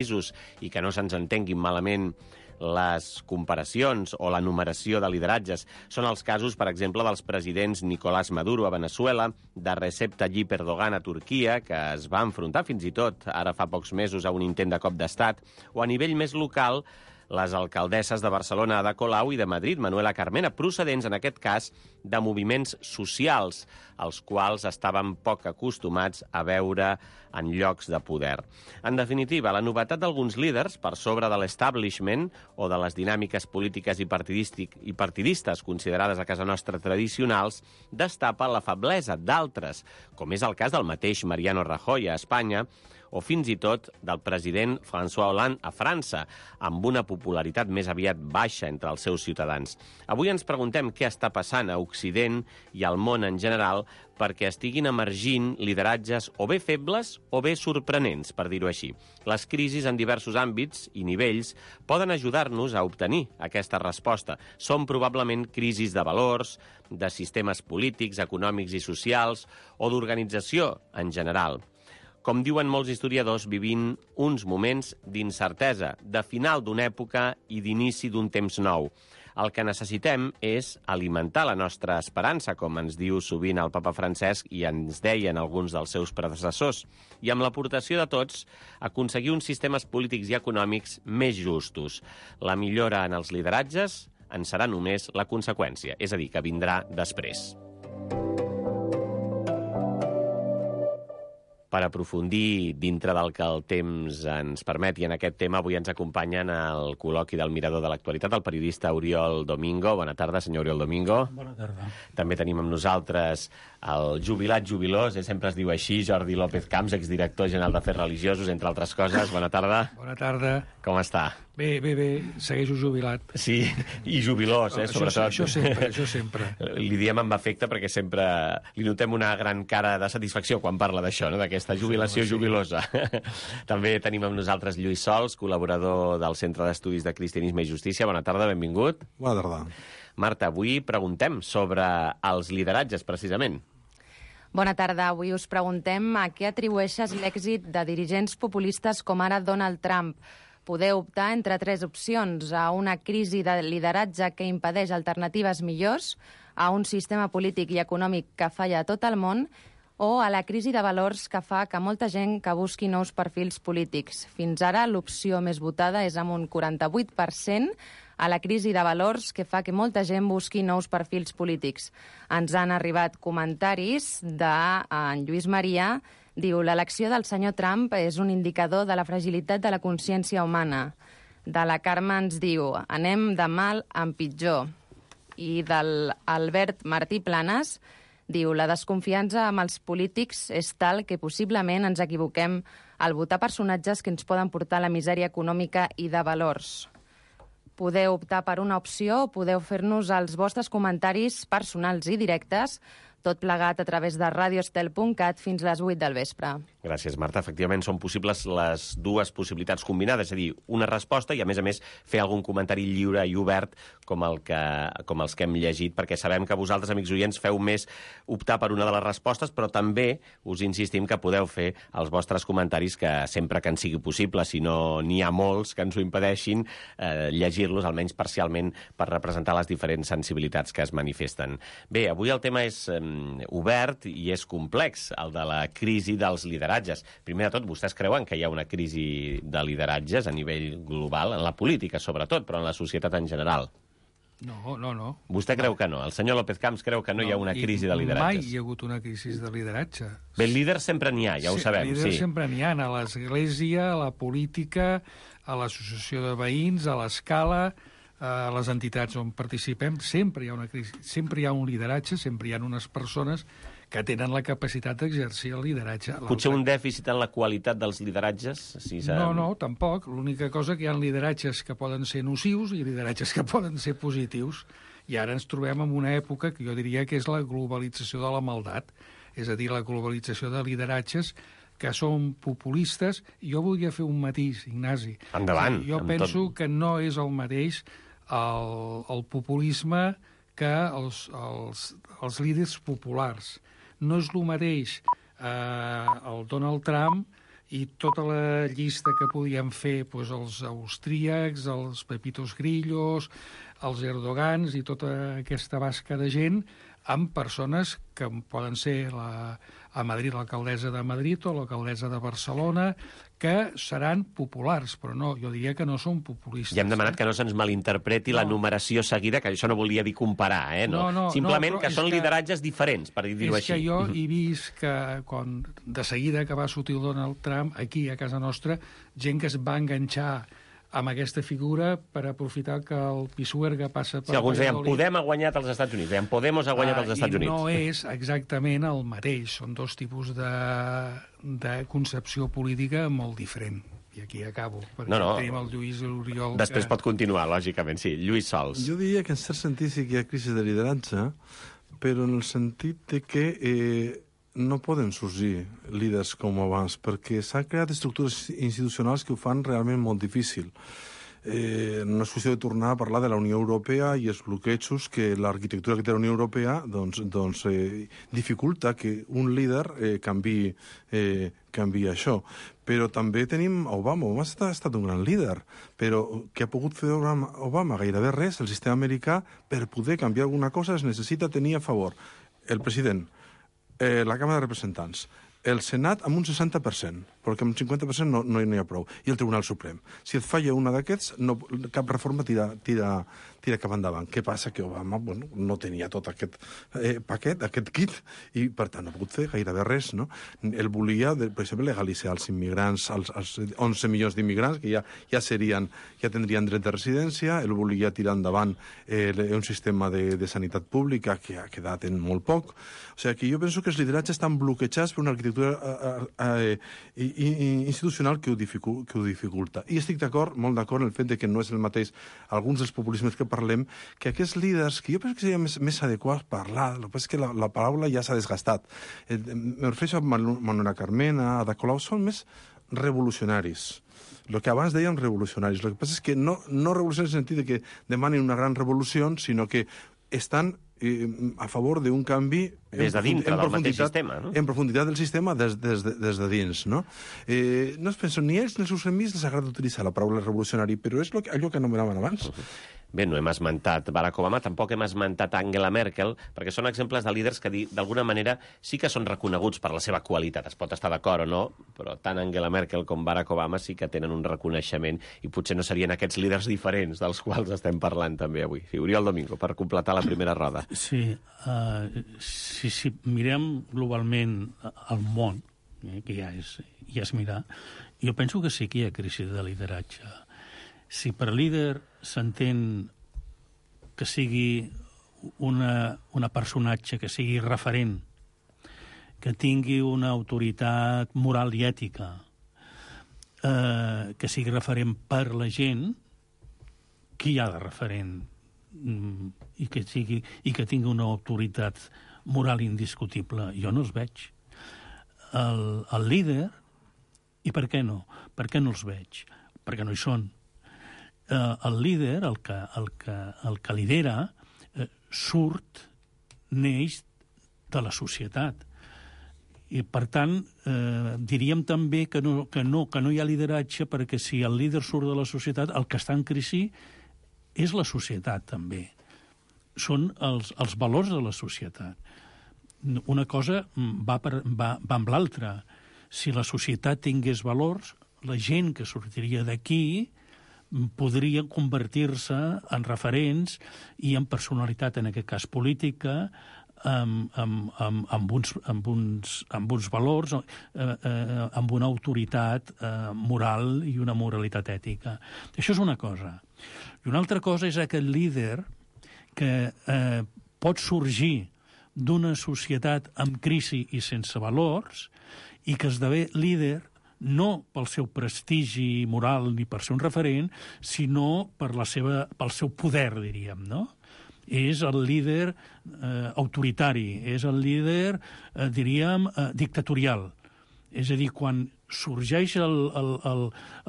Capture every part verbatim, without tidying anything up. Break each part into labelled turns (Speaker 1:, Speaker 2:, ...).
Speaker 1: països i que no se'ns entenguin malament les comparacions o la numeració de lideratges són els casos, per exemple, dels presidents Nicolás Maduro a Venezuela, de Recep Tayyip Erdogan a Turquia, que es va enfrontar fins i tot ara fa pocs mesos a un intent de cop d'estat, o a nivell més local, les alcaldesses de Barcelona Ada Colau i de Madrid Manuela Carmena, procedents, en aquest cas, de moviments socials, als quals estaven poc acostumats a veure en llocs de poder. En definitiva, la novetat d'alguns líders, per sobre de l'establishment o de les dinàmiques polítiques i, i partidistes considerades a casa nostra tradicionals, destapa la feblesa d'altres, com és el cas del mateix Mariano Rajoy a Espanya, o fins i tot del president François Hollande a França, amb una popularitat més aviat baixa entre els seus ciutadans. Avui ens preguntem què està passant a Occident i al món en general perquè estiguin emergint lideratges o bé febles o bé sorprenents, per dir-ho així. Les crisis en diversos àmbits i nivells poden ajudar-nos a obtenir aquesta resposta. Són probablement crisis de valors, de sistemes polítics, econòmics i socials o d'organització en general. Com diuen molts historiadors, vivint uns moments d'incertesa, de final d'una època i d'inici d'un temps nou. El que necessitem és alimentar la nostra esperança, com ens diu sovint el papa Francesc i ens deien alguns dels seus predecessors, i amb l'aportació de tots aconseguir uns sistemes polítics i econòmics més justos. La millora en els lideratges en serà només la conseqüència, és a dir, que vindrà després. Per aprofundir dintre del que el temps ens permeti en aquest tema, avui ens acompanyen al col·loqui del Mirador de l'Actualitat el periodista Oriol Domingo. Bona tarda, senyor Oriol Domingo.
Speaker 2: Bona tarda.
Speaker 1: També tenim amb nosaltres el jubilat jubilós, eh? Sempre es diu així, Jordi López Camps, exdirector general d'Afers Religiosos, entre altres coses. Bona tarda.
Speaker 2: Bona tarda.
Speaker 1: Com està?
Speaker 2: Bé, bé, bé, segueixo jubilat.
Speaker 1: Sí, i jubilós, eh, sobretot.
Speaker 2: Això, això sempre, això sempre.
Speaker 1: Li diem amb afecte perquè sempre li notem una gran cara de satisfacció quan parla d'això, no? D'aquesta jubilació sí, jubilosa. També tenim amb nosaltres Lluís Sols, col·laborador del Centre d'Estudis de Cristianisme i Justícia. Bona tarda, benvingut.
Speaker 3: Bona tarda.
Speaker 1: Marta, avui preguntem sobre els lideratges, precisament.
Speaker 4: Bona tarda. Avui us preguntem a què atribueixes l'èxit de dirigents populistes com ara Donald Trump. Podeu optar entre tres opcions: a una crisi de lideratge que impedeix alternatives millors, a un sistema polític i econòmic que falla a tot el món, o a la crisi de valors que fa que molta gent que busqui nous perfils polítics. Fins ara, l'opció més votada és amb un quaranta-vuit per cent, a la crisi de valors que fa que molta gent busqui nous perfils polítics. Ens han arribat comentaris d'en Lluís Maria. Diu, l'elecció del senyor Trump és un indicador de la fragilitat de la consciència humana. De la Carme ens diu, anem de mal en pitjor. I del Albert Martí Planes diu, la desconfiança amb els polítics és tal que possiblement ens equivoquem al votar personatges que ens poden portar a la misèria econòmica i de valors. Podeu optar per una opció o podeu fer-nos els vostres comentaris personals i directes, tot plegat a través de radiostel punt cat fins les vuit del vespre.
Speaker 1: Gràcies, Marta. Efectivament, són possibles les dues possibilitats combinades, és a dir, una resposta i, a més a més, fer algun comentari lliure i obert com, el que, com els que hem llegit, perquè sabem que vosaltres, amics oients, feu més optar per una de les respostes, però també us insistim que podeu fer els vostres comentaris, que sempre que en sigui possible, si no n'hi ha molts que ens ho impedeixin, eh, llegir-los, almenys parcialment, per representar les diferents sensibilitats que es manifesten. Bé, avui el tema és eh, obert i és complex, el de la crisi dels lideratges. Primer de tot, vostès creuen que hi ha una crisi de lideratges a nivell global, en la política sobretot, però en la societat en general?
Speaker 2: No, no, no.
Speaker 1: Vostè creu que no? El senyor López Camps creu que no, no hi ha una crisi de lideratges?
Speaker 2: Mai hi ha hagut una crisi de lideratge.
Speaker 1: Bé, líders sempre n'hi ha, ja ho
Speaker 2: sí,
Speaker 1: sabem.
Speaker 2: Líders
Speaker 1: sí.
Speaker 2: sempre n'hi ha, a l'església, a la política, a l'associació de veïns, a l'escala, a les entitats on participem, sempre hi ha una crisi, sempre hi ha un lideratge, sempre hi ha unes persones que tenen la capacitat d'exercir el lideratge.
Speaker 1: Potser un dèficit en la qualitat dels lideratges? Si
Speaker 2: no, no, tampoc. L'única cosa que hi ha lideratges que poden ser nocius i lideratges que poden ser positius. I ara ens trobem en una època que jo diria que és la globalització de la maldat, és a dir, la globalització de lideratges que són populistes. Jo volia fer un matís, Ignasi.
Speaker 1: Endavant.
Speaker 2: Jo penso tot... que no és el mateix el, el populisme que els, els, els líders populars. No és el mateix eh, el Donald Trump i tota la llista que podíem fer, doncs, els austríacs, els Pepitos Grillos, els Erdogans i tota aquesta basca de gent, amb persones que poden ser la, a Madrid l'alcaldessa de Madrid o l'alcaldessa de Barcelona, que seran populars, però no, jo diria que no són populistes.
Speaker 1: Ja hem demanat
Speaker 2: eh?
Speaker 1: que no se'ns malinterpreti no. la numeració seguida, que això no volia dir comparar, eh? No.
Speaker 2: No, no,
Speaker 1: Simplement
Speaker 2: no,
Speaker 1: que són
Speaker 2: que,
Speaker 1: lideratges diferents, per dir-ho així.
Speaker 2: És que jo he vist que quan, de seguida que va sortir el Donald Trump, aquí a casa nostra, gent que es va enganxar amb aquesta figura per aprofitar que el Pisuerga passa per...
Speaker 1: Sí, alguns deien, Podem ha guanyat als Estats Units, deien, Podemos ha guanyat als Estats
Speaker 2: uh, I
Speaker 1: Units.
Speaker 2: no és exactament el mateix, són dos tipus de, de concepció política molt diferent. I aquí acabo, perquè
Speaker 1: no, no.
Speaker 2: tenim el Lluís i l'Oriol...
Speaker 1: Després
Speaker 2: que...
Speaker 1: pot continuar, lògicament, sí. Lluís Sols.
Speaker 3: Jo diria que en cert sentit sí que hi ha crisi de lideratge, però en el sentit de que eh, no poden sorgir líders com abans, perquè s'han creat estructures institucionals que ho fan realment molt difícil. Eh, no és qüestió de tornar a parlar de la Unió Europea i els bloquejos que l'arquitectura que té la Unió Europea doncs, doncs, eh, dificulta que un líder eh, canvi, eh, canvi això. Però també tenim Obama. Obama ha estat un gran líder, però què ha pogut fer Obama? Gairebé res. El sistema americà, per poder canviar alguna cosa, es necessita tenir a favor el president, eh, la Càmera de Representants, el Senat amb un seixanta per cent, perquè amb un cinquanta per cent no, no hi ha prou, i el Tribunal Suprem. Si et falla una d'aquests, no, cap reforma tira, tira, tira cap endavant. Què passa? Que Obama bueno, no tenia tot aquest eh, paquet, aquest kit, i per tant no ha pogut fer gairebé res. No? Ell volia, per exemple, legalitzar els immigrants, els, els onze milions d'immigrants, que ja, ja, serien, ja tindrien dret de residència, ell volia tirar endavant eh, un sistema de, de sanitat pública que ha quedat en molt poc. O sigui, que jo penso que els lideratges estan bloquejats per una arquitectura eh, eh, institucional que ho, dificul, que ho dificulta. I estic d'acord, molt d'acord, en el fet de que no és el mateix alguns dels populismes que parlem, que aquests líders, que jo penso que seria més, més adequat parlar, el que passa és que la, la paraula ja s'ha desgastat. Eh, me refereixo a Manuela Carmena, a Ada Colau, són més revolucionaris. El que abans dèiem revolucionaris. El que passa és que no, no revolucionaris en el sentit de que demanin una gran revolució, sinó que estan eh, a favor d'un canvi
Speaker 1: des de dintre del mateix sistema, no?
Speaker 3: En profunditat del sistema des, des, de, des de dins, no? Eh, no es penso, ni ells ni els seus amics els agrada utilitzar la paraula revolucionari, però és lo que, allò que anomenaven abans. Uh-huh.
Speaker 1: Bé, no hem esmentat Barack Obama, tampoc hem esmentat Angela Merkel, perquè són exemples de líders que, d'alguna manera, sí que són reconeguts per la seva qualitat. Es pot estar d'acord o no, però tant Angela Merkel com Barack Obama sí que tenen un reconeixement i potser no serien aquests líders diferents dels quals estem parlant també avui. Sí, Oriol Domingo, per completar la primera roda.
Speaker 5: Sí, uh, si, si mirem globalment el món, eh, que ja és, ja és mirar, jo penso que sí que hi ha crisi de lideratge. Si per líder s'entén que sigui una, una personatge que sigui referent, que tingui una autoritat moral i ètica, eh, que sigui referent per la gent, qui hi ha de referent? Mm, i, que sigui, i que tingui una autoritat moral indiscutible. Jo no els veig. El, el líder, i per què no? Per què no els veig? Perquè no hi són. Uh, el líder, el que, el que, el que lidera, uh, surt, neix de la societat. I, per tant, eh, diríem també que no, que, no, que no hi ha lideratge, perquè si el líder surt de la societat, el que està en crisi és la societat, també. Són els, els valors de la societat. Una cosa va, per, va, va amb l'altra. Si la societat tingués valors, la gent que sortiria d'aquí podria convertir-se en referents i en personalitat, en aquest cas política, amb, amb, amb, amb, uns, amb, uns, amb uns valors, eh, eh, amb una autoritat eh, moral i una moralitat ètica. Això és una cosa. I una altra cosa és aquest líder que eh, pot sorgir d'una societat amb crisi i sense valors i que esdevé líder no pel seu prestigi moral ni per ser un referent, sinó per la seva, pel seu poder, diríem, no? És el líder eh, autoritari, és el líder, eh, diríem, eh, dictatorial. És a dir, quan sorgeix el, el, el,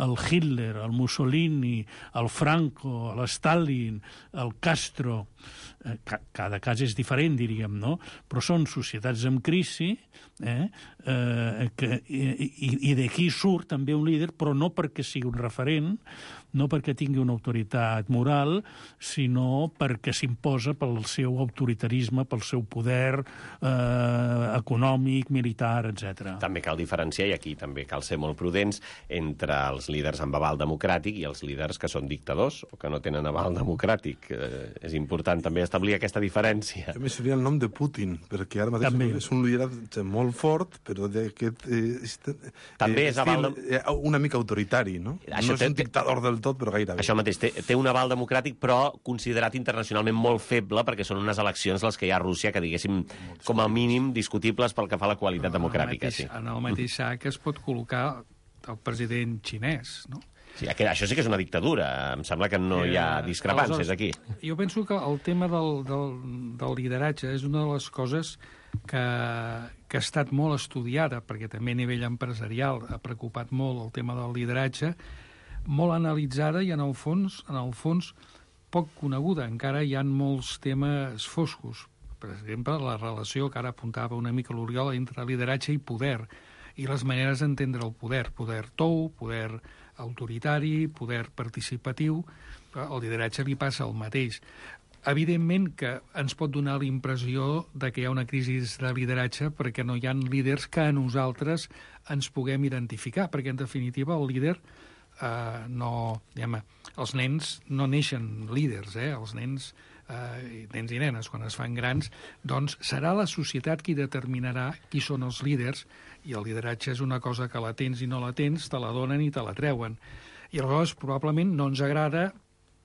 Speaker 5: el Hitler, el Mussolini, el Franco, l'Stalin, el Castro, eh, ca cada cas és diferent, diríem, no? Però són societats en crisi, eh? Eh, que, i, i d'aquí surt també un líder, però no perquè sigui un referent, no perquè tingui una autoritat moral, sinó perquè s'imposa pel seu autoritarisme, pel seu poder eh, econòmic, militar, etcètera.
Speaker 1: També cal diferenciar, i aquí també cal ser molt prudents, entre els líders amb aval democràtic i els líders que són dictadors o que no tenen aval democràtic. Eh, és important també establir aquesta diferència.
Speaker 3: A més, seria el nom de Putin, perquè ara mateix també és un lideratge molt fort, però d'aquest... Eh,
Speaker 1: també
Speaker 3: eh,
Speaker 1: és aval...
Speaker 3: Eh, una mica autoritari, no? Això no és un dictador del tot, però gairebé.
Speaker 1: Això mateix, té, té un aval democràtic, però considerat internacionalment molt feble, perquè són unes eleccions les que hi ha a Rússia que, diguéssim, com a mínim discutibles pel que fa a la qualitat democràtica.
Speaker 2: En el mateix,
Speaker 1: sí.
Speaker 2: en el mateix sac es pot col·locar el president xinès, no?
Speaker 1: Sí, això sí que és una dictadura. Em sembla que no hi ha discrepàncies aquí.
Speaker 2: Jo penso que el tema del, del, del lideratge és una de les coses que, que ha estat molt estudiada, perquè també a nivell empresarial ha preocupat molt el tema del lideratge, molt analitzada i, en el fons, en el fons poc coneguda. Encara hi ha molts temes foscos. Per exemple, la relació que ara apuntava una mica l'Oriol entre lideratge i poder, i les maneres d'entendre el poder. Poder tou, poder autoritari, poder participatiu. Al lideratge li passa el mateix. Evidentment que ens pot donar la impressió de que hi ha una crisi de lideratge perquè no hi ha líders que a nosaltres ens puguem identificar, perquè, en definitiva, el líder eh, no... Diguem, els nens no neixen líders, eh? Els nens, eh, nens i nenes, quan es fan grans, doncs serà la societat qui determinarà qui són els líders, i el lideratge és una cosa que la tens i no la tens, te la donen i te la treuen. I aleshores probablement no ens agrada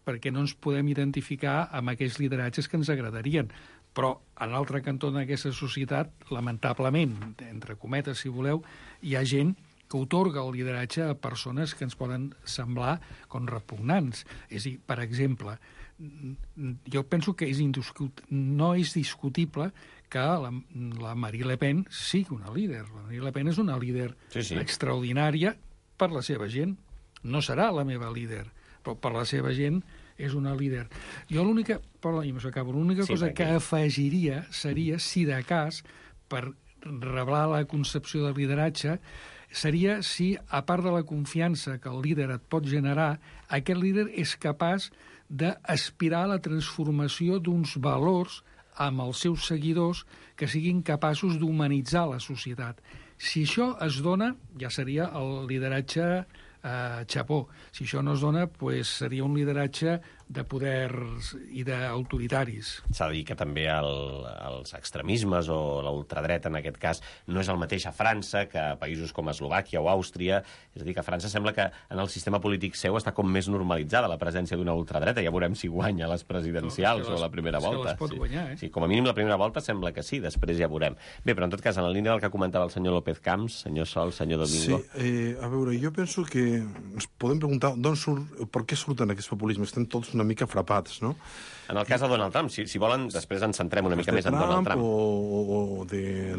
Speaker 2: perquè no ens podem identificar amb aquells lideratges que ens agradarien. Però en l'altre cantó d'aquesta societat, lamentablement, entre cometes, si voleu, hi ha gent que otorga el lideratge a persones que ens poden semblar com repugnants. És a dir, per exemple, jo penso que és indiscut... no és discutible que la, la Marine Le Pen sigui una líder. La Marine Le Pen és una líder
Speaker 1: sí, sí.
Speaker 2: extraordinària per la seva gent. No serà la meva líder, però per la seva gent és una líder. Jo l'única, perdó, l'única sí, cosa que afegiria seria, si de cas, per reblar la concepció de lideratge, seria si, a part de la confiança que el líder et pot generar, aquest líder és capaç d'aspirar a la transformació d'uns valors amb els seus seguidors que siguin capaços d'humanitzar la societat. Si això es dona, ja seria el lideratge eh, xapó. Si això no es dona, pues, seria un lideratge de poders i d'autoritaris.
Speaker 1: S'ha de dir que també el, els extremismes o l'ultradreta, en aquest cas, no és el mateix a França que a països com Eslovàquia o Àustria. És a dir, que a França sembla que en el sistema polític seu està com més normalitzada la presència d'una ultradreta. Ja veurem si guanya les presidencials no, les, o la primera volta.
Speaker 2: Se les pot
Speaker 1: sí.
Speaker 2: guanyar, eh?
Speaker 1: Sí, com a mínim la primera volta sembla que sí, després ja veurem. Bé, però en tot cas, en la línia del que comentava el senyor López Camps, senyor Sol, senyor Domingo...
Speaker 3: Sí, eh, a veure, jo penso que ens podem preguntar d'on surt, per què surten aquests populismes. Estem tots una mica frapats, no?
Speaker 1: En el cas de Donald Trump, si, si volen, després ens centrem una mica més en Donald Trump.
Speaker 3: O, o de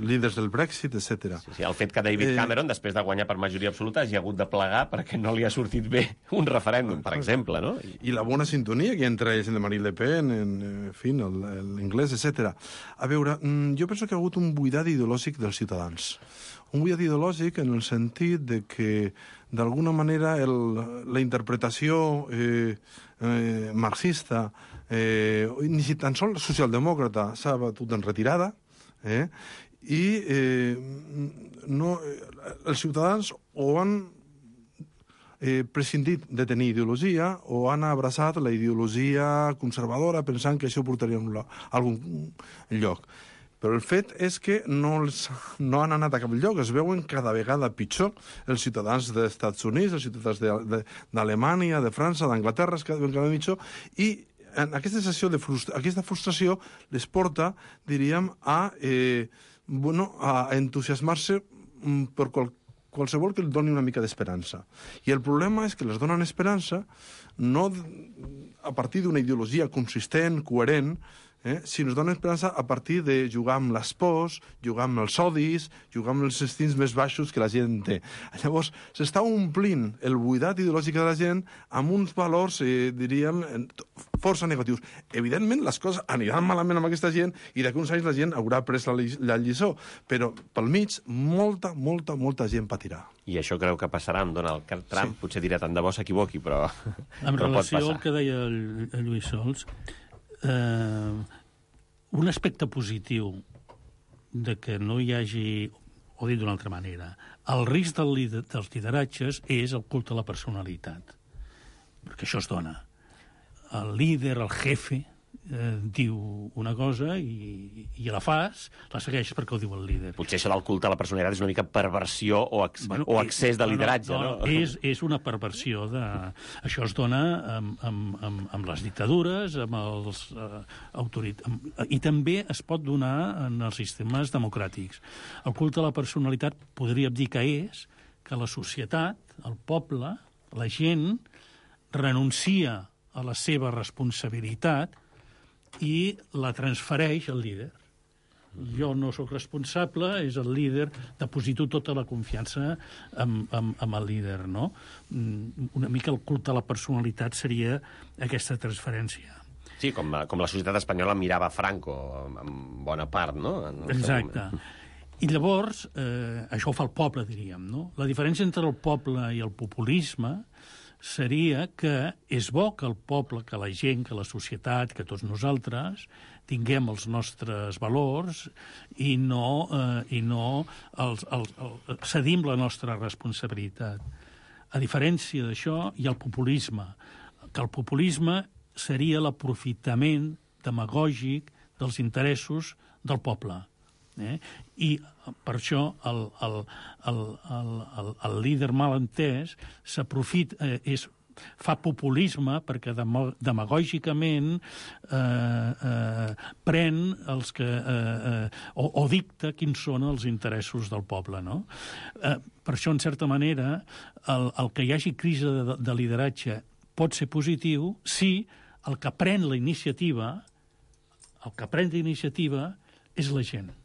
Speaker 3: líders del Brexit, etcètera.
Speaker 1: Sí, sí, el fet que David Cameron, eh... després de guanyar per majoria absoluta, hagi hagut de plegar perquè no li ha sortit bé un referèndum, per exemple, no? I,
Speaker 3: I la bona sintonia que hi ha entre ells, de Marine Le Pen, en, en fi, l'inglès, etcètera. A veure, jo penso que ha hagut un buidat ideològic dels ciutadans. Un buidat ideològic en el sentit de que, d'alguna manera, el, la interpretació eh, eh, marxista, eh, ni si tan sols socialdemòcrata, s'ha batut en retirada, eh, i eh, no, els ciutadans o han eh, prescindit de tenir ideologia o han abraçat la ideologia conservadora pensant que això portaria a algun lloc. Però el fet és que no, els, no han anat a cap lloc, es veuen cada vegada pitjor els ciutadans dels Estats Units, els ciutadans d'Alemanya, de, de, de França, d'Anglaterra, es veuen cada vegada pitjor, i en aquesta sensació de frustra aquesta frustració les porta, diríem, a, eh, bueno, a entusiasmar-se per qual qualsevol que li doni una mica d'esperança. I el problema és que les donen esperança no a partir d'una ideologia consistent, coherent, eh, si ens dona esperança a partir de jugar amb les pors, jugar amb els odis, jugar amb els instints més baixos que la gent té. Llavors, s'està omplint el buidat ideològic de la gent amb uns valors, eh, diríem, força negatius. Evidentment, les coses aniran malament amb aquesta gent i d'aquí uns anys la gent haurà pres la, la lliçó, però pel mig molta, molta, molta gent patirà.
Speaker 1: I això creu que passarà amb Donald Trump? Sí. Potser dirà tant de bo s'equivoqui, però,
Speaker 5: en
Speaker 1: però pot passar.
Speaker 5: En relació al que deia el, el Lluís Sols, eh, un aspecte positiu de que no hi hagi, o dit d'una altra manera, el risc del lider, dels lideratges és el culte a la personalitat, perquè això es dona. El líder, el jefe, eh, diu una cosa i, i la fas, la segueixes perquè ho diu el líder.
Speaker 1: Potser això del culte a la personalitat és una mica perversió o, ex bueno, o excés de lideratge, no? no, no,
Speaker 5: no? És, és una perversió. De... Això es dona amb, amb, amb, amb les dictadures, amb els eh, autorit... Amb... i també es pot donar en els sistemes democràtics. El culte a la personalitat podríem dir que és que la societat, el poble, la gent, renuncia a la seva responsabilitat i la transfereix al líder. Jo no sóc responsable, és el líder, deposito tota la confiança amb, amb, amb el líder, no? Una mica el culte a la personalitat seria aquesta transferència.
Speaker 1: Sí, com, com la societat espanyola mirava Franco, en bona part, no? En
Speaker 5: Exacte. I llavors, eh, això ho fa el poble, diríem, no? La diferència entre el poble i el populisme seria que és bo que el poble, que la gent, que la societat, que tots nosaltres tinguem els nostres valors i no, eh, i no els, els, els, cedim la nostra responsabilitat. A diferència d'això, hi ha el populisme, que el populisme seria l'aprofitament demagògic dels interessos del poble. Eh? I per això el, el, el, el, el, el líder mal entès s'aprofita, eh, és, fa populisme perquè demagògicament eh, eh, pren els que, eh, eh, o, o dicta quins són els interessos del poble. No? Eh, per això, en certa manera, el, el que hi hagi crisi de, de lideratge pot ser positiu si el que pren la iniciativa, el que pren la iniciativa és la gent.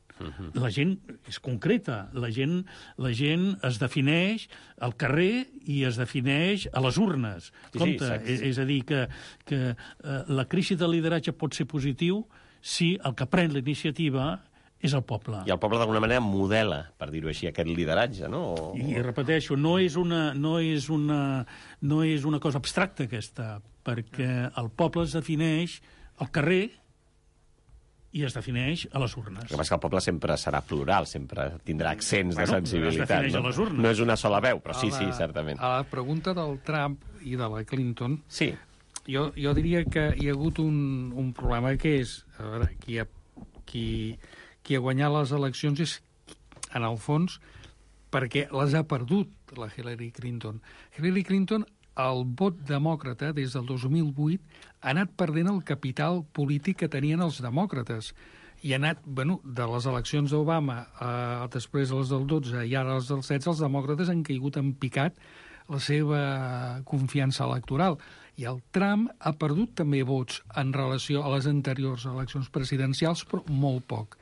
Speaker 5: La gent és concreta, la gent, la gent es defineix al carrer i es defineix a les urnes.
Speaker 1: Sí,
Speaker 5: Compte,
Speaker 1: sí,
Speaker 5: és, és a dir, que, que eh, la crisi de lideratge pot ser positiu si el que pren la iniciativa és el poble.
Speaker 1: I el poble d'alguna manera modela, per dir-ho així, aquest lideratge, no? O...
Speaker 5: I repeteixo, no és, una, no, és una, no és una cosa abstracta aquesta, perquè el poble es defineix al carrer i es defineix a les urnes.
Speaker 1: El que passa que el poble sempre serà plural, sempre tindrà accents
Speaker 5: bueno,
Speaker 1: de sensibilitat.
Speaker 5: Es defineix
Speaker 1: no?
Speaker 5: a les urnes.
Speaker 1: No és una sola veu, però sí,
Speaker 2: la,
Speaker 1: sí, certament.
Speaker 2: A la pregunta del Trump i de la Clinton,
Speaker 1: sí.
Speaker 2: jo, jo diria que hi ha hagut un, un problema que és, a veure, qui ha, qui, qui ha guanyat les eleccions és, en el fons, perquè les ha perdut la Hillary Clinton. Hillary Clinton, el vot demòcrata, des del dos mil vuit, ha anat perdent el capital polític que tenien els demòcrates. I ha anat, bueno, de les eleccions d'Obama a després les del dotze i ara les del setze, els demòcrates han caigut en picat la seva confiança electoral. I el Trump ha perdut també vots en relació a les anteriors eleccions presidencials, però molt poc.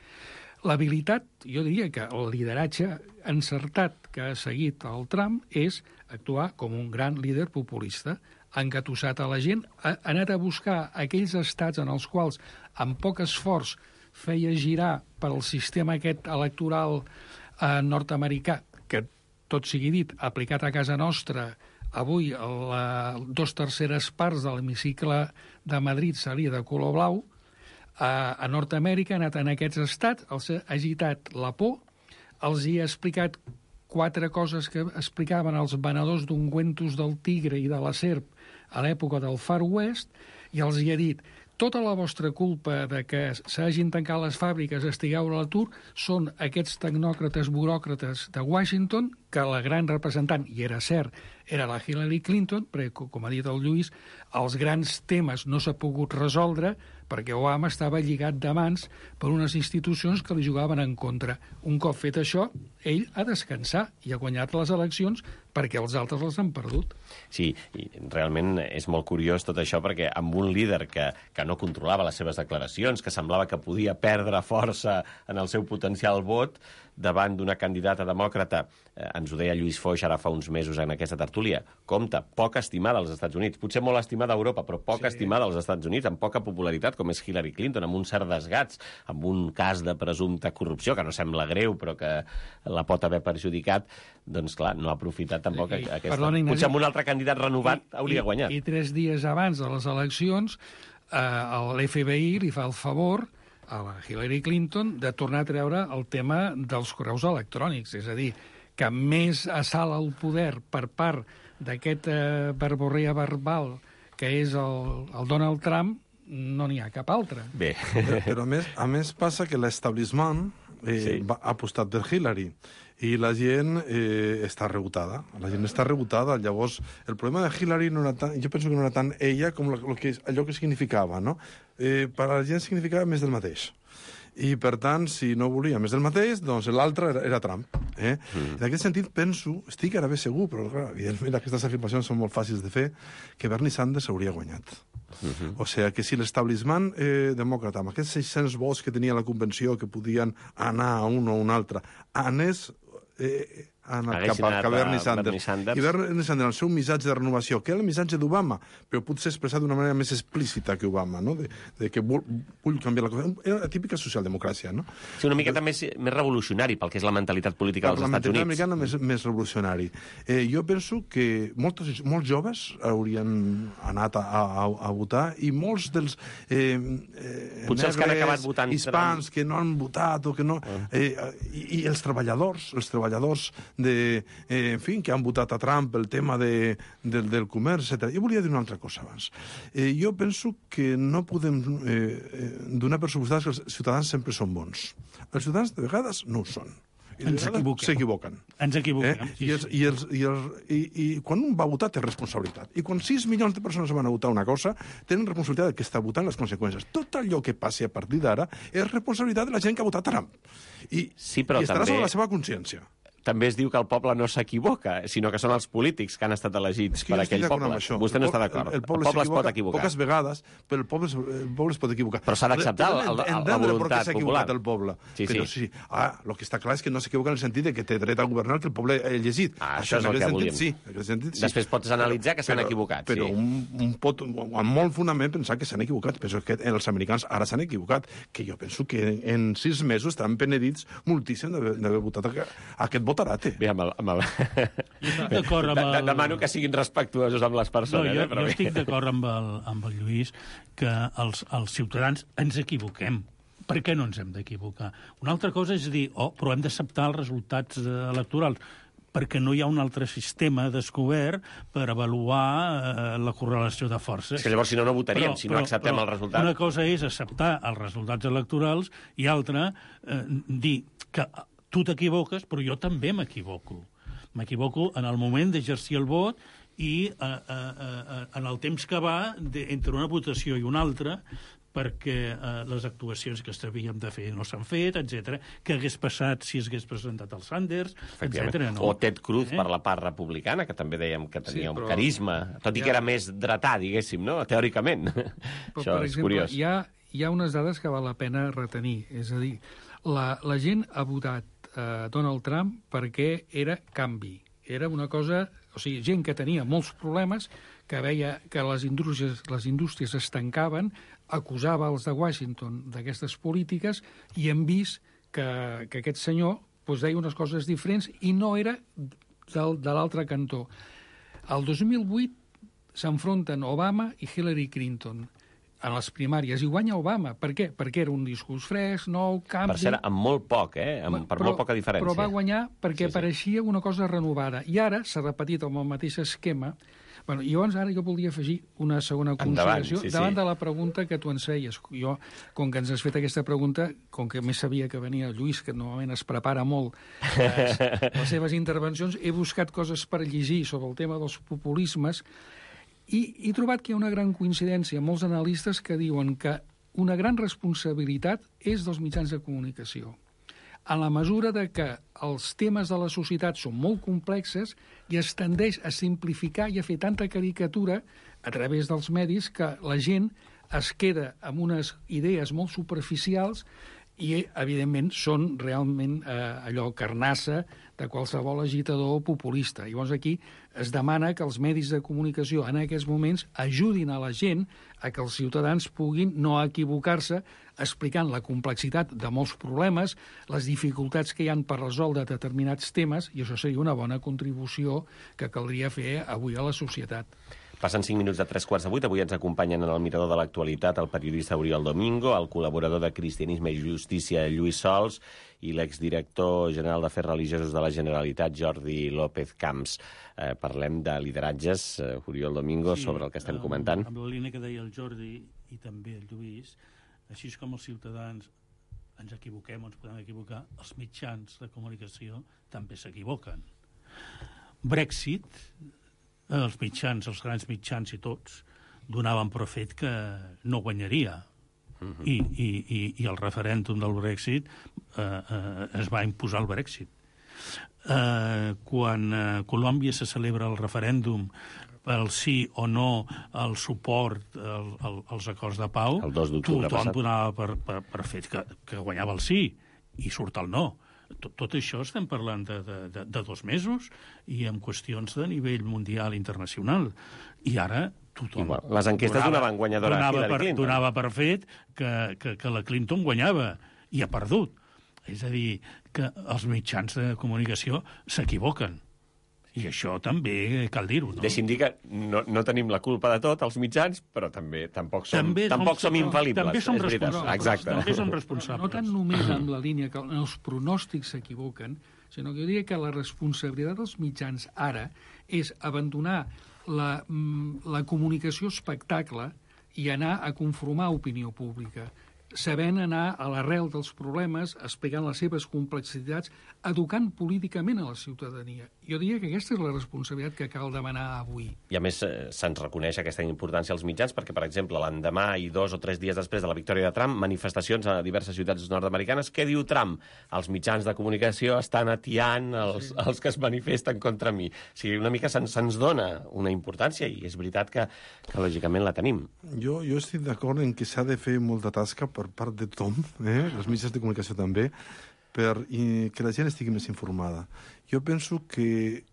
Speaker 2: L'habilitat, jo diria que el lideratge encertat que ha seguit el Trump és actuar com un gran líder populista, ha engatussat a la gent, ha anat a buscar aquells estats en els quals, amb poc esforç, feia girar per al sistema aquest electoral eh, nord-americà, que, tot sigui dit, aplicat a casa nostra, avui la, dos terceres parts de l'hemicicle de Madrid seria de color blau, a, a Nord-Amèrica ha anat en aquests estats, els ha agitat la por, els hi ha explicat quatre coses que explicaven els venedors d'ungüentos del tigre i de la serp a l'època del Far West, i els hi ha dit: tota la vostra culpa de que s'hagin tancat les fàbriques, estigueu a l'atur, són aquests tecnòcrates, buròcrates de Washington que la gran representant, i era cert, era la Hillary Clinton, perquè, com ha dit el Lluís, els grans temes no s'ha pogut resoldre perquè Obama estava lligat de mans per unes institucions que li jugaven en contra. Un cop fet això, ell ha descansat i ha guanyat les eleccions perquè els altres les han perdut.
Speaker 1: Sí, i realment és molt curiós tot això, perquè amb un líder que, que no controlava les seves declaracions, que semblava que podia perdre força en el seu potencial vot, davant d'una candidata demòcrata, eh, ens ho deia Lluís Foix ara fa uns mesos en aquesta tertúlia, compte, poc estimada als Estats Units, potser molt estimada a Europa, però poc sí. estimada als Estats Units, amb poca popularitat, com és Hillary Clinton, amb un cert desgats, amb un cas de presumpta corrupció, que no sembla greu, però que la pot haver perjudicat, doncs clar, no ha aprofitat tampoc I, aquesta... Perdona, Ignasi, potser amb un altre candidat renovat i, hauria
Speaker 2: i,
Speaker 1: guanyat.
Speaker 2: I tres dies abans de les eleccions, eh, l'F B I li fa el favor a la Hillary Clinton de tornar a treure el tema dels correus electrònics. És a dir, que més assalt al poder per part d'aquest eh, verborrea verbal que és el, el Donald Trump, no n'hi ha cap altre.
Speaker 1: Bé.
Speaker 3: Però, però a més, a més passa que l'establishment eh, sí. va, ha apostat per Hillary i la gent eh, està rebotada. La gent està rebotada. Llavors, el problema de Hillary no era tant, jo penso que no era tant ella com lo, lo que, allò que significava, no? Eh, per a la gent significava més del mateix. I, per tant, si no volia més del mateix, doncs l'altre era, era Trump. Eh? Mm. En aquest sentit, penso, estic ara bé segur, però clar, evidentment aquestes afirmacions són molt fàcils de fer, que Bernie Sanders hauria guanyat. Uh-huh. O sigui, que si l'establishment eh, demòcrata, amb aquests seis-cents vots que tenia la convenció, que podien anar a un o un altre, anés... Eh, ha anat cap a, cap a Bernie Sanders. Bernie Sanders. I Bernie Sanders, el seu missatge de renovació, que era el missatge d'Obama, però potser expressat d'una manera més explícita que Obama, no? de, de que vull, vull canviar la cosa. Era la típica socialdemocràcia, no?
Speaker 1: Sí, una miqueta més, més revolucionari pel que és la mentalitat política dels Estats Units.
Speaker 3: La mentalitat americana més, més revolucionari. Eh, jo penso que molts, molts joves haurien anat a, a, a votar i molts dels eh, eh,
Speaker 1: potser els que han acabat votant
Speaker 3: hispans que no han votat o que no... Eh, i, I els treballadors, els treballadors de, eh, en fi, que han votat a Trump el tema de, del, del comerç, etcètera. Jo volia dir una altra cosa abans. Eh, jo penso que no podem eh, donar per suposat que els ciutadans sempre són bons. Els ciutadans de vegades no ho són. I
Speaker 5: ens equivoquem.
Speaker 3: S'equivoquen.
Speaker 5: Ens equivoquem.
Speaker 3: Eh? I, els, i, els, i, els, i, I quan un va votar té responsabilitat. I quan sis milions de persones van a votar una cosa, tenen responsabilitat de que està votant les conseqüències. Tot allò que passi a partir d'ara és responsabilitat de la gent que ha votat Trump. I,
Speaker 1: sí, però
Speaker 3: i estarà
Speaker 1: també...
Speaker 3: sobre la seva consciència.
Speaker 1: També es diu que el poble no s'equivoca, sinó que són els polítics que han estat elegits per aquell poble. Vostè no està d'acord. El, el, el poble, el poble es pot equivocar.
Speaker 3: Poques vegades, però el poble, el poble es pot equivocar.
Speaker 1: Però s'ha d'acceptar la voluntat popular.
Speaker 3: El poble.
Speaker 1: Sí,
Speaker 3: però
Speaker 1: sí.
Speaker 3: sí. Ah, el que està clar és que no s'equivoca en el sentit de que té dret a governar que el poble ha llegit.
Speaker 1: Ah, això, això és el que volíem.
Speaker 3: Sí, sentit, sí.
Speaker 1: Després pots analitzar que s'han equivocat.
Speaker 3: Però
Speaker 1: sí.
Speaker 3: un, un pot, amb molt fonament, pensar que s'han equivocat. Penso que els americans ara s'han equivocat. Que jo penso que en sis mesos estaran penedits moltíssim d'haver votat aquest votarate.
Speaker 1: Bé, amb el, amb el...
Speaker 5: d'acord amb el...
Speaker 1: Demano que siguin respectuosos amb les persones.
Speaker 5: No, jo,
Speaker 1: eh, però
Speaker 5: jo estic d'acord amb, el, amb el Lluís que els, els ciutadans ens equivoquem. Per què no ens hem d'equivocar? Una altra cosa és dir, oh, però hem d'acceptar els resultats electorals, perquè no hi ha un altre sistema descobert per avaluar eh, la correlació de forces.
Speaker 1: És que llavors, si no, no votaríem, però, si no però, acceptem però, el resultat.
Speaker 5: Una cosa és acceptar els resultats electorals i altra, eh, dir que tu t'equivoques, però jo també m'equivoco. M'equivoco en el moment d'exercir el vot i eh, eh, en el temps que va de, entre una votació i una altra, perquè eh, les actuacions que s'havien de fer no s'han fet, etcètera. Què hagués passat si es hagués presentat el Sanders, etcètera. No.
Speaker 1: O Ted Cruz eh? per la part republicana, que també dèiem que tenia sí, però... un carisma, tot i ja... que era més dretà, diguéssim, no? Teòricament.
Speaker 2: Però,
Speaker 1: Això
Speaker 2: per
Speaker 1: és
Speaker 2: exemple,
Speaker 1: curiós.
Speaker 2: Hi ha, hi ha unes dades que val la pena retenir. És a dir, la, la gent ha votat eh, Donald Trump perquè era canvi. Era una cosa... O sigui, gent que tenia molts problemes, que veia que les indústries, les indústries es tancaven, acusava els de Washington d'aquestes polítiques i hem vist que, que aquest senyor doncs, deia unes coses diferents i no era del, de l'altre cantó. El dos mil vuit s'enfronten Obama i Hillary Clinton. en les primàries, i guanya Obama. Per què? Perquè era un discurs fresc, nou, canvi...
Speaker 1: Per cert, amb molt poc, eh? Amb, per
Speaker 2: però,
Speaker 1: molt poca diferència.
Speaker 2: Però va guanyar perquè
Speaker 1: sí, sí.
Speaker 2: pareixia una cosa renovada. I ara s'ha repetit amb el mateix esquema. Bueno, i llavors ara jo voldria afegir una segona consideració
Speaker 1: Endavant, sí,
Speaker 2: davant
Speaker 1: sí.
Speaker 2: de la pregunta que tu ens feies. Jo, com que ens has fet aquesta pregunta, com que més sabia que venia Lluís, que normalment es prepara molt les, les seves intervencions, he buscat coses per llegir sobre el tema dels populismes i he trobat que hi ha una gran coincidència amb molts analistes que diuen que una gran responsabilitat és dels mitjans de comunicació. En la mesura de que els temes de la societat són molt complexes i es tendeix a simplificar i a fer tanta caricatura a través dels medis que la gent es queda amb unes idees molt superficials i, evidentment, són realment eh, allò carnassa de qualsevol agitador populista. Llavors aquí es demana que els medis de comunicació en aquests moments ajudin a la gent a que els ciutadans puguin no equivocar-se explicant la complexitat de molts problemes, les dificultats que hi han per resoldre determinats temes, i això seria una bona contribució que caldria fer avui a la societat.
Speaker 1: Passen cinc minuts de tres quarts de vuit. Avui ens acompanyen en el mirador de l'actualitat el periodista Oriol Domingo, el col·laborador de Cristianisme i Justícia Lluís Sols i l'exdirector general d'Afers Religiosos de la Generalitat, Jordi López Camps. Eh, parlem de lideratges, eh, Oriol Domingo, sí, sobre el que estem comentant.
Speaker 5: Amb la línia que deia el Jordi i també el Lluís, així com els ciutadans ens equivoquem o ens podem equivocar, els mitjans de comunicació també s'equivoquen. Brexit, els mitjans, els grans mitjans i tots, donaven per fet que no guanyaria. Uh-huh. I, i, i, I el referèndum del Brexit eh, eh, es va imposar el Brexit. Eh, quan a eh, Colòmbia se celebra el referèndum pel sí o no al suport al, al, als acords de pau,
Speaker 1: el dos d'octubre
Speaker 5: tothom
Speaker 1: passat
Speaker 5: donava per, per, per fet que, que guanyava el sí i surt el no. Tot, tot això estem parlant de, de, de, de dos mesos i amb qüestions de nivell mundial internacional. I ara tothom...
Speaker 1: Igual. Les enquestes donava, donaven guanyadora a Hillary
Speaker 5: per,
Speaker 1: Clinton.
Speaker 5: Donava per fet que, que, que la Clinton guanyava i ha perdut. És a dir, que els mitjans de comunicació s'equivoquen. I això també cal dir-ho, no?
Speaker 1: Deixi'm dir que no, no tenim la culpa de tot, els mitjans, però també tampoc som,
Speaker 5: també
Speaker 1: tampoc
Speaker 5: som,
Speaker 1: som infal·libles.
Speaker 5: També som responsables.
Speaker 1: Exacte.
Speaker 5: També som responsables.
Speaker 2: No tant només amb la línia que els pronòstics s'equivoquen, sinó que jo diria que la responsabilitat dels mitjans ara és abandonar la, la comunicació espectacle i anar a conformar opinió pública, sabent anar a l'arrel dels problemes, explicant les seves complexitats, educant políticament a la ciutadania. Jo diria que aquesta és la responsabilitat que cal demanar avui.
Speaker 1: I a més eh, se'ns reconeix aquesta importància als mitjans perquè, per exemple, l'endemà i dos o tres dies després de la victòria de Trump, manifestacions a diverses ciutats nord-americanes. Què diu Trump? Els mitjans de comunicació estan atiant els, sí. els que es manifesten contra mi. O sigui, una mica se'ns, se'ns dona una importància i és veritat que, que lògicament la tenim.
Speaker 3: Jo, jo estic d'acord en que s'ha de fer molta tasca per part de tothom, eh? els mitjans de comunicació també, per i, que la gent estigui més informada. Jo penso que,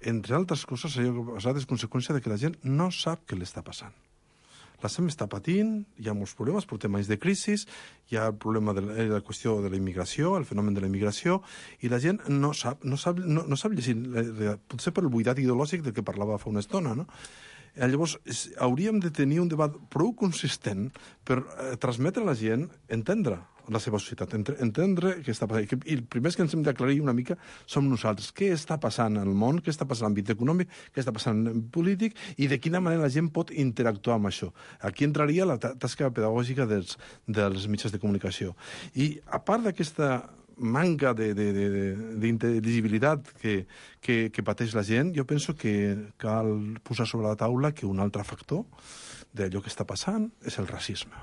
Speaker 3: entre altres coses, allò que ha passat és conseqüència de que la gent no sap què l'està passant. La gent està patint, hi ha molts problemes, portem anys de crisi, hi ha el problema de la, la qüestió de la immigració, el fenomen de la immigració, i la gent no sap, no sap, no, no sap llegir, potser per el buidat ideològic del que parlava fa una estona, no? Llavors, hauríem de tenir un debat prou consistent per eh, transmetre a la gent, entendre la seva societat, entendre què està passant. I el primer que ens hem d'aclarir una mica som nosaltres. Què està passant al món, què està passant en l'àmbit econòmic, què està passant en polític i de quina manera la gent pot interactuar amb això. Aquí entraria la tasca pedagògica dels, dels mitjans de comunicació. I a part d'aquesta manca d'intel·ligibilitat que, que, que pateix la gent, jo penso que cal posar sobre la taula que un altre factor d'allò que està passant és el racisme.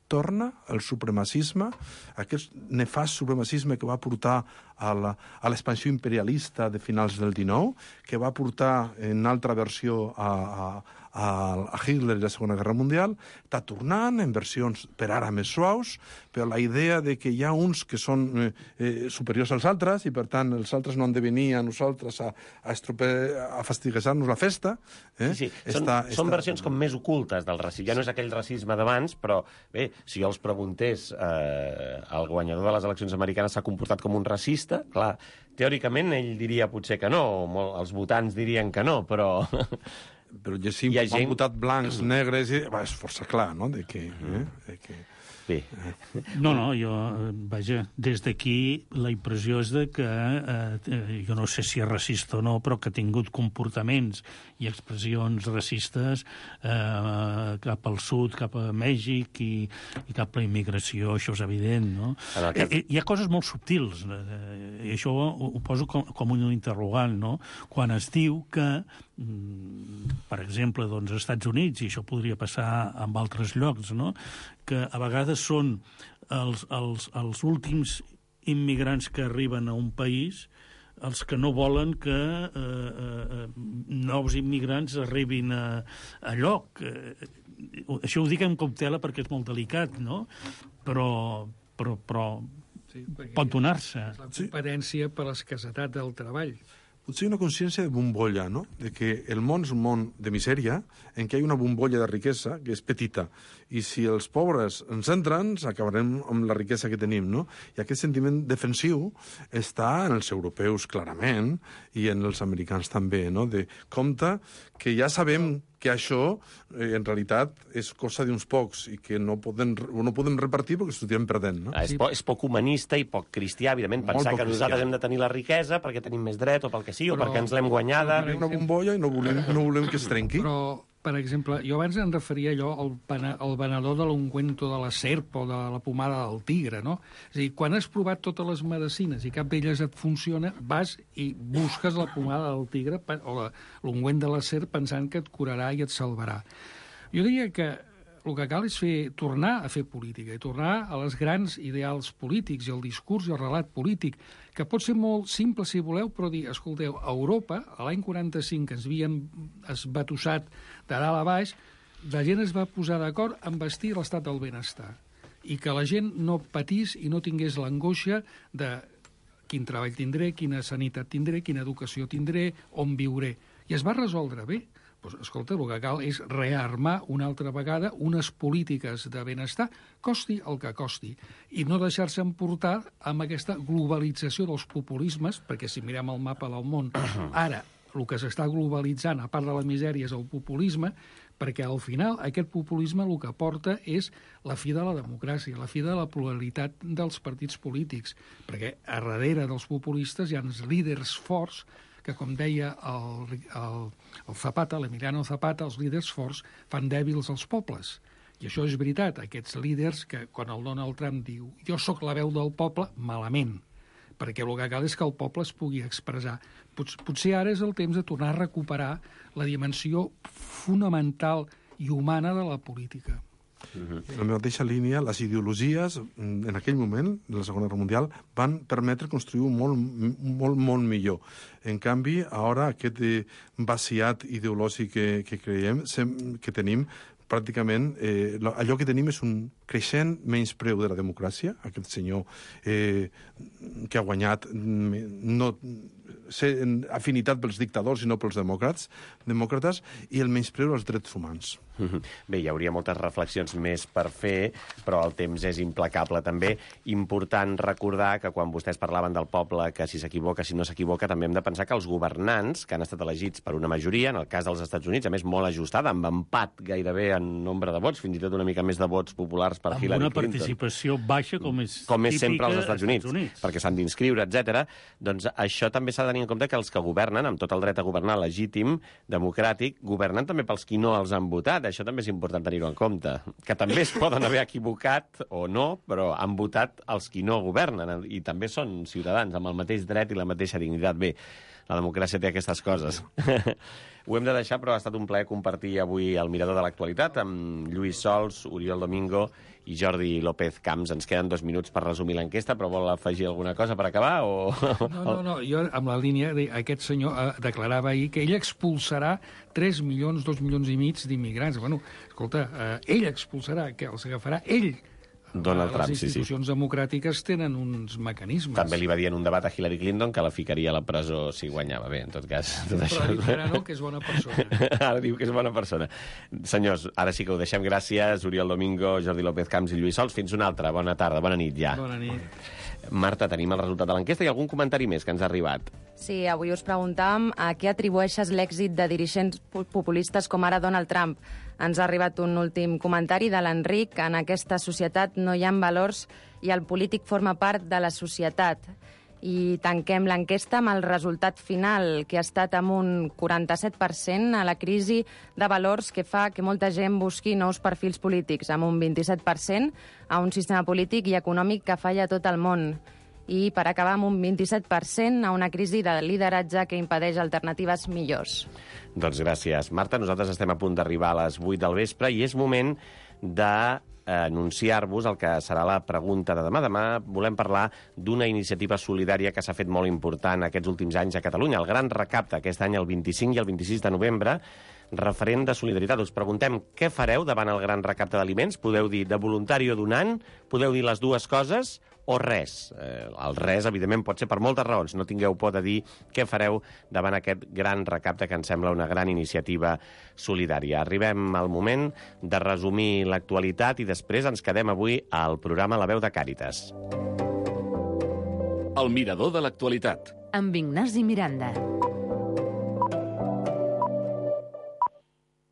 Speaker 3: Torna el supremacisme, aquest nefast supremacisme que va portar a l'expansió imperialista de finals del dinou, que va portar en altra versió a, a, a Hitler i la Segona Guerra Mundial, està tornant en versions per ara més suaus, però la idea de que hi ha uns que són eh, eh, superiors als altres i, per tant, els altres no han de venir a nosaltres a, a, a fastiguejar-nos la festa. Eh?
Speaker 1: Sí, sí.
Speaker 3: Està,
Speaker 1: són,
Speaker 3: està...
Speaker 1: són versions com més ocultes del racisme. Ja no és aquell racisme d'abans, però bé, si jo els preguntés eh, el guanyador de les eleccions americanes s'ha comportat com un racista, clar, teòricament ell diria potser que no, molt, els votants dirien que no, però...
Speaker 3: però llegim,
Speaker 1: Hi ha
Speaker 3: gent...
Speaker 1: gent-
Speaker 3: han votat blancs, negres... I... Va, és força clar, no?, de que... Eh? De que...
Speaker 1: Bé,
Speaker 5: No, no, jo, eh, vaja, des d'aquí la impressió és de que, eh, jo no sé si és racista o no, però que ha tingut comportaments i expressions racistes eh, cap al sud, cap a Mèxic i, i cap a la immigració, això és evident, no?
Speaker 1: En el cas-
Speaker 5: Eh, hi ha coses molt subtils, eh, i això ho, ho poso com, com un interrogant, no? Quan es diu que, mm, per exemple, doncs, als Estats Units, i això podria passar en altres llocs, no?, que a vegades són els, els, els últims immigrants que arriben a un país els que no volen que eh, eh, nous immigrants arribin a, a lloc. Eh, això ho dic amb cautela perquè és molt delicat, no? Però, però, però
Speaker 2: Sí, perquè
Speaker 5: pot donar-se.
Speaker 2: és la competència per l'escassetat del treball.
Speaker 3: Potser una consciència de bombolla, no? De que el món és un món de misèria, en què hi ha una bombolla de riquesa que és petita. I si els pobres ens entren, acabarem amb la riquesa que tenim, no? I aquest sentiment defensiu està en els europeus, clarament, i en els americans també, no? De compte que ja sabem que això, eh, en realitat, és cosa d'uns pocs i que no podem, no podem repartir perquè estem perdent, no?
Speaker 1: ah, és, po és poc humanista i poc cristià, evidentment,
Speaker 3: Molt
Speaker 1: pensar
Speaker 3: poc
Speaker 1: que nosaltres
Speaker 3: cristià.
Speaker 1: hem de tenir la riquesa perquè tenim més dret o pel que sigui,
Speaker 2: Però-
Speaker 1: o perquè ens l'hem guanyada.
Speaker 3: Hi ha una bombolla i no volem, no volem que es trenqui.
Speaker 2: Però, per exemple, jo abans em referia allò al, pana- al venedor de l'ungüento de la serp o de la pomada del tigre, no? És a dir, quan has provat totes les medicines i cap d'elles et funciona, vas i busques la pomada del tigre pe- o la- l'ungüent de la serp pensant que et curarà i et salvarà. Jo diria que el que cal és fer, tornar a fer política i tornar a les grans ideals polítics i el discurs i el relat polític, que pot ser molt simple, si voleu, però dir, escolteu, a Europa, a l'any quaranta-cinc, que ens havíem esbatussat de dalt a baix, la gent es va posar d'acord en vestir l'estat del benestar i que la gent no patís i no tingués l'angoixa de quin treball tindré, quina sanitat tindré, quina educació tindré, on viuré. I es va resoldre bé. Pues, escolta, el que cal és rearmar una altra vegada unes polítiques de benestar, costi el que costi, i no deixar-se emportar amb aquesta globalització dels populismes, perquè si mirem el mapa del món, ara el que s'està globalitzant, a part de la misèria, és el populisme, perquè al final aquest populisme el que porta és la fi de la democràcia, la fi de la pluralitat dels partits polítics, perquè a darrere dels populistes hi ha els líders forts que, com deia el, el, el Zapata, l'Emiliano Zapata, els líders forts fan dèbils els pobles. I això és veritat, aquests líders que, quan el Donald Trump diu jo sóc la veu del poble, malament, perquè el que cal és que el poble es pugui expressar. Pot, potser ara és el temps de tornar a recuperar la dimensió fonamental i humana de la política.
Speaker 3: En la mateixa línia, les ideologies, en aquell moment, de la Segona Guerra Mundial, van permetre construir un món molt, molt millor. En canvi, ara aquest vaciat ideològic que, que creiem, que tenim, pràcticament, eh, allò que tenim és un creixent menyspreu de la democràcia, aquest senyor eh, que ha guanyat no ser afinitat pels dictadors i no pels demòcrates, demòcrates i el menyspreu als drets humans.
Speaker 1: Bé, hi hauria moltes reflexions més per fer, però el temps és implacable també. Important recordar que quan vostès parlaven del poble, que si s'equivoca, si no s'equivoca, també hem de pensar que els governants, que han estat elegits per una majoria, en el cas dels Estats Units, a més molt ajustada, amb empat gairebé en nombre de vots, fins i tot una mica més de vots populars per
Speaker 5: amb
Speaker 1: Hillary
Speaker 5: una
Speaker 1: Clinton.
Speaker 5: participació baixa com és
Speaker 1: com és
Speaker 5: típica
Speaker 1: sempre als Estats Units,
Speaker 5: Estats Units.
Speaker 1: perquè s'han d'inscriure, etcètera. Doncs això també s'ha de tenir en compte que els que governen, amb tot el dret a governar legítim, democràtic, governen també pels qui no els han votat. Això també és important tenir-ho en compte. Que també es poden haver equivocat o no, però han votat els qui no governen i també són ciutadans amb el mateix dret i la mateixa dignitat. Bé, la democràcia té aquestes coses. Ho hem de deixar, però ha estat un plaer compartir avui el Mirador de l'Actualitat amb Lluís Sols, Oriol Domingo i Jordi López Camps. Ens queden dos minuts per resumir l'enquesta, però vol afegir alguna cosa per acabar? O...
Speaker 2: No, no, no, jo amb la línia, de, aquest senyor eh, declarava ahir que ell expulsarà tres milions, dos milions i mig d'immigrants. Bueno, escolta, eh, ell expulsarà, que els agafarà ell.
Speaker 1: Donald Trump,
Speaker 2: les
Speaker 1: sí, sí.
Speaker 2: institucions democràtiques tenen uns mecanismes.
Speaker 1: També li va dir en un debat a Hillary Clinton que la ficaria a la presó si guanyava. Bé, en tot cas... Tot
Speaker 2: Però
Speaker 1: això...
Speaker 2: ha dit ara no, que és bona persona.
Speaker 1: Ara diu que és bona persona. Senyors, ara sí que ho deixem. Gràcies, Oriol Domingo, Jordi López Camps i Lluís Sols. Fins una altra. Bona tarda, bona nit ja.
Speaker 2: Bona nit.
Speaker 1: Marta, tenim el resultat de l'enquesta i algun comentari més que ens ha arribat.
Speaker 4: Sí, avui us preguntàvem a què atribueixes l'èxit de dirigents populistes com ara Donald Trump. Ens ha arribat un últim comentari de l'Enric. En aquesta societat no hi ha valors i el polític forma part de la societat. I tanquem l'enquesta amb el resultat final, que ha estat amb un quaranta-set per cent a la crisi de valors que fa que molta gent busqui nous perfils polítics, amb un vint-i-set per cent a un sistema polític i econòmic que falla a tot el món. I per acabar amb un vint-i-set per cent a una crisi de lideratge que impedeix alternatives millors.
Speaker 1: Doncs gràcies. Marta, nosaltres estem a punt d'arribar a les vuit del vespre i és moment de anunciar-vos el que serà la pregunta de demà. Demà volem parlar d'una iniciativa solidària que s'ha fet molt important aquests últims anys a Catalunya, el Gran Recapte, aquest any el vint-i-cinc i el vint-i-sis de novembre, referent de solidaritat. Us preguntem què fareu davant el Gran Recapte d'aliments. Podeu dir de voluntari o donant, podeu dir les dues coses o res. Eh, el res, evidentment, pot ser per moltes raons. No tingueu por de dir què fareu davant aquest gran recapte que ens sembla una gran iniciativa solidària. Arribem al moment de resumir l'actualitat i després ens quedem avui al programa La Veu de Càritas.
Speaker 6: El mirador de l'actualitat.
Speaker 7: Amb Ignasi Miranda.